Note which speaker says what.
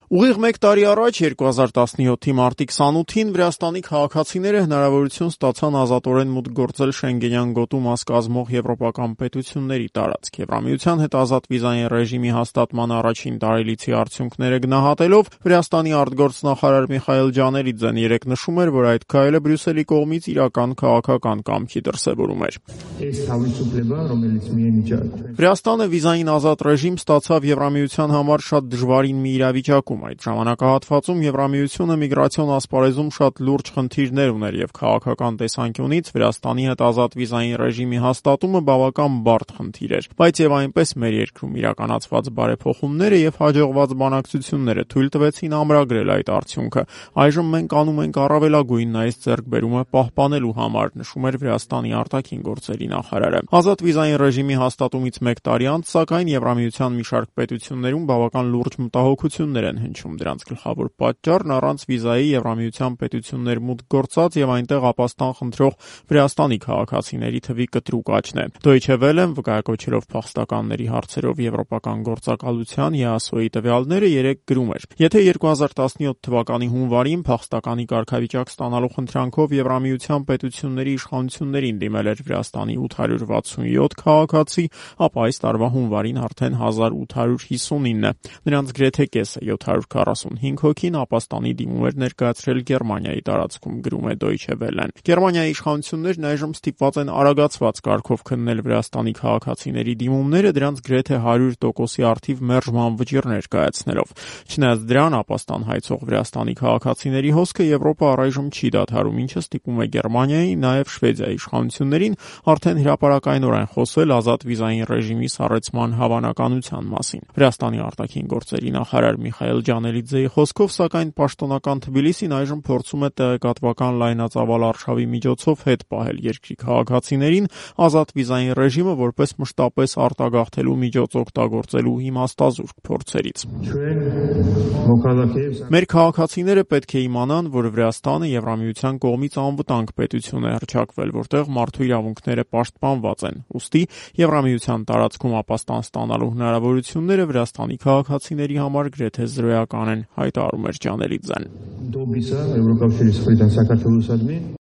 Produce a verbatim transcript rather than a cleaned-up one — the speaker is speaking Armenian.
Speaker 1: Ուղիղ մեկ տարի առաջ երկու հազար տասնյոթի մարտի քսանութին Վրաստանի քաղաքացիները հնարավորություն ստացան ազատորեն մուտք գործել Շենգենյան գոտու մաս կազմող եվրոպական պետությունների տարածք։ Եվրամիության հետ ազատ վիզային ռեժիմի հաստատման առաջին տարելիցի արդյունքները գնահատելով Վրաստանի արտգործնախարար Միխայել Ջանելիձեն երեկ նշում էր, որ այդ քայլը Բրյուսելի կողմից իրական քաղաքական կամքի դրսևորում էր։ Վրաստանը վիզային ազատ ռեժիմ ստացավ Եվրամիության համար շատ դժվարին մի իրավիճակում։ Այդ ժամանակահատվածում Եվրամիությունը միգրացիոն ասպարեզում շատ լուրջ խնդիրներ ուներ եւ քաղաքական տեսանկյունից Վրաստանի հետ ազատ վիզային ռեժիմի հաստատումը բավական բարդ խնդիր էր, բայց եւ այնպես մեր երկրում իրականացված բարեփոխումները եւ հաջողված բանակցությունները թույլ տվեցին ամրագրել այդ արդյունքը։ Այժմ մենք անում ենք առավելագույնն այս ձեռքբերումը պահպանելու համար, նշում էր Վրաստանի արտաքին գործերի նախարարը։ Ազատ վիզային ռեժիմի հաստատումից մեկ տարի անց, սակայն Եվրամիության մի շարք պետություններում բավական լուրջ մտահոգություններ են հնչում։ Դրանց գլխավոր պատճառն առանց վիզայի Եվրամիության պետություններ մուտք գործած եւ այնտեղ ապաստան խնդրող Վրաստանի քաղաքացիների թվի կտրուկ աճն է։ Deutsche Welle-ն վկայակոչելով փախստականների հարցերով եվրոպական գործակալության (E A S O) տվյալները երեկ գրում էր. Եթե երկու հազար տասնյոթ թվականի հունվարին փախստականի կարգավիճակ ստանալու խնդրանքով Եվրամիության պետությունների իշխանություններին դիմել էր Վրաստանի ութ հարյուր վաթսունյոթ քաղաքացի, ապա այս տարվա հունվարին արդեն հազար ութ հարյուր հիսունինը։ Նրանց գրեթե կեսը յոթ հարյուր քառասունհինգ հոգին ապաստանի դիմում էր ներկայացրել Գերմանիայի տարածքում, գրում է Deutsche Welle-ն։ Գերմանիայի իշխանություններն այժմ ստիպված են արագացված կարգով քննել Վրաստանի քաղաքացիների դիմումները, դրանց գրեթե հարյուր տոկոսի առթիվ մերժման վճիռներ կայացնելով։ Չնայած դրան, ապաստան հայցող Վրաստանի քաղաքացիների հոսքը Եվրոպա առայժմ չի դադարում, ինչը ստիպում է Գերմանիայի, նաև Շվեդիայի իշխանություններին արդեն հրապարակայնորեն խոսել ազատ վիզային ռեժիմի սառեցման հավանականության մասին։ Վրաստանի արտաքին գործերի նախարար Միխայել Ջանելիձեի խոսքով, սակայն պաշտոնական Թբիլիսին այժմ փորձում է տեղեկատվական լայնածավալ արշավի միջոցով հետ պահել երկրի քաղաքացիներին ազատ վիզային ռեժիմը որպես մշտապես արտագաղթելու միջոց օգտագործելու իմաստազուրկ փորձերից։ Մեր քաղաքացիները պետք է իմանան, որ Վրաստանը Եվրամիության կողմից անվտանգ պետություն է հռչակվել, որտեղ մարդու իրավունքները պաշտպանված են։ Ուստի Եվրամիության տարածքում ապաստան ստանալու հնարավորությունները Վրաստանի քաղաքացիների համար գրեթե զրոյական են, հայտարարում էր Ջանելիձեն։